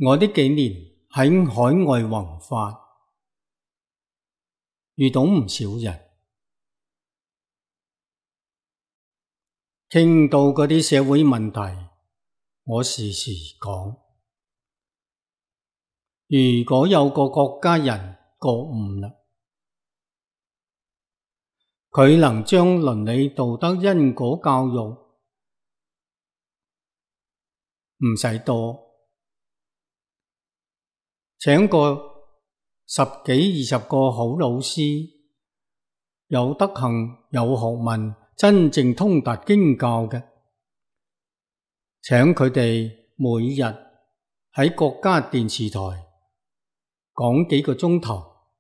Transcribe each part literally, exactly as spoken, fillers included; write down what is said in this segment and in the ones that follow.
我呢幾年喺海外弘法，遇到唔少人，傾到嗰啲社會問題，我時時講，如果有個國家人覺悟啦，佢能將倫理道德因果教育唔使多，請個十幾二十個好老師，有德行有學問，真正通達經教嘅，請佢哋每日喺國家電視台講幾個鐘頭，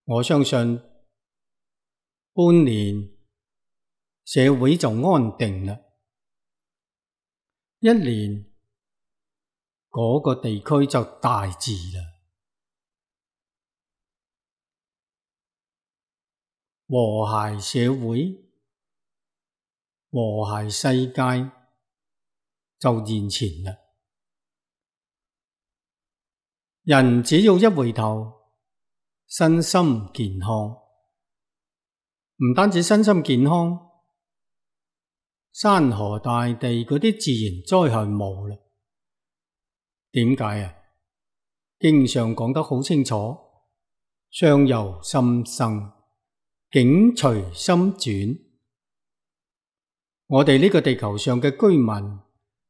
我相信半年社會就安定啦，一年嗰個地區就大治啦。和諧社會，和諧世界就現前啦。人只要一回頭，身心健康，唔單止身心健康，山河大地嗰啲自然災害冇啦。點解啊？經上講得好清楚，相由心生，境隨心轉。我哋呢個地球上嘅居民，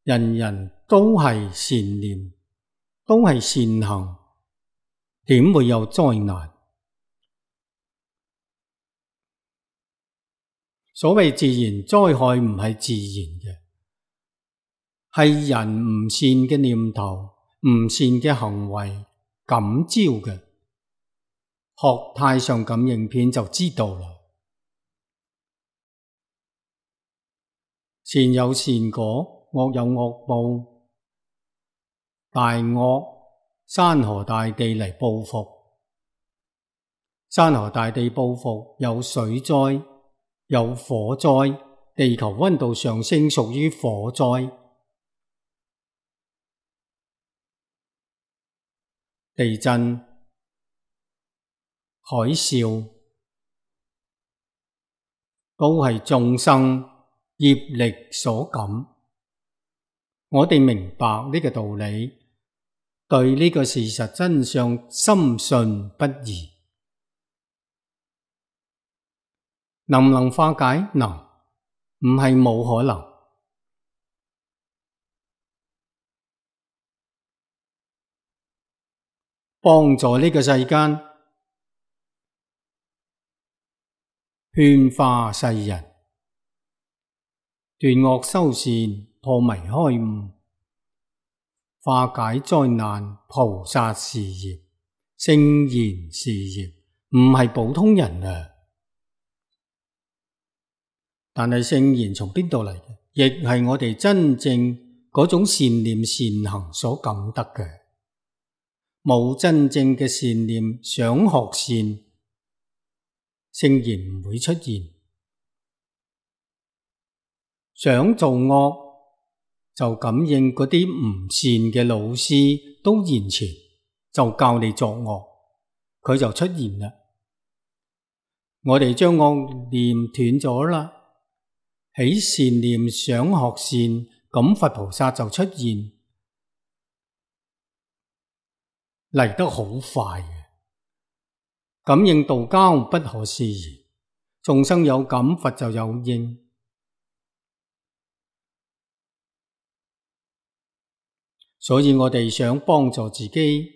人人都係善念，都係善行，點會有災難？所謂自然災害唔係自然嘅，係人唔善嘅念頭、唔善嘅行為感召嘅。學太上感應篇就知道啦。善有善果，惡有惡報。大惡山河大地嚟報復，山河大地報復有水災，有火災，地球溫度上升屬於火災。地震、海嘯都係眾生業力所感。我哋明白呢個道理，對呢個事實真相深信不疑。能唔能化解？能，唔係冇可能。幫助呢個世間，勸化世人，斷惡修善，破迷開悟，化解災難，菩薩事業，聖賢事業，唔係普通人啊！但係聖賢從邊度嚟嘅？亦係我哋真正嗰種善念善行所感得嘅。冇真正嘅善念，想學善，聖賢唔會出現。想做惡，就感應嗰啲唔善嘅老師都現前，就教你作惡，佢就出現啦。我哋將惡念斷咗啦，起善念想學善，咁佛菩薩就出現。嚟得好快嘅，感應道交不可思議，眾生有感，佛就有應。所以我哋想幫助自己，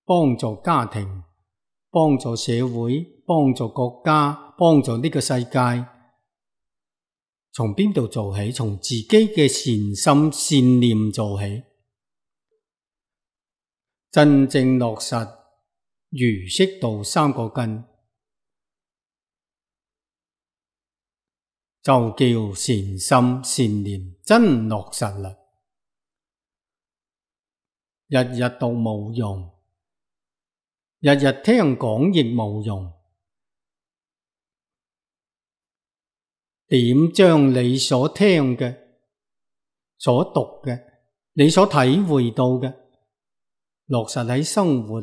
幫助家庭，幫助社會，幫助國家，幫助呢個世界，從邊度做起？從自己嘅善心善念做起。真正落實儒釋道三個根，就叫善心善念真落實啦。日日讀冇用，日日聽講亦冇用。點將你所聽嘅、所讀嘅你所體會到嘅，落實喺生活，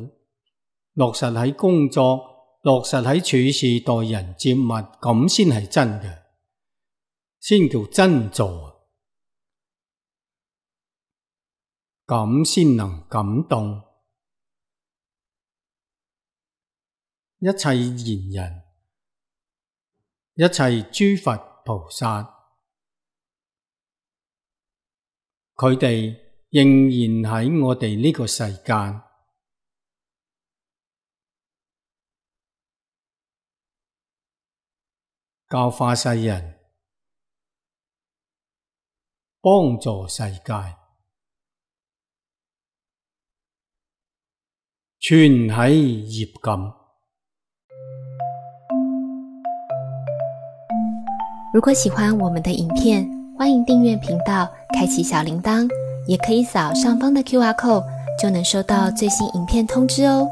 落實喺工作，落實喺處事待人接物，咁先係真嘅，先叫真做，咁先能感動。一切賢人，一切諸佛菩薩，佢哋仍然喺我哋呢個世間，教化世人，幫助世界，全喺業感。如果喜歡我們的影片，歡迎訂閱頻道，開啟小鈴鐺，也可以掃上方的 Q R code，就能收到最新影片通知哦。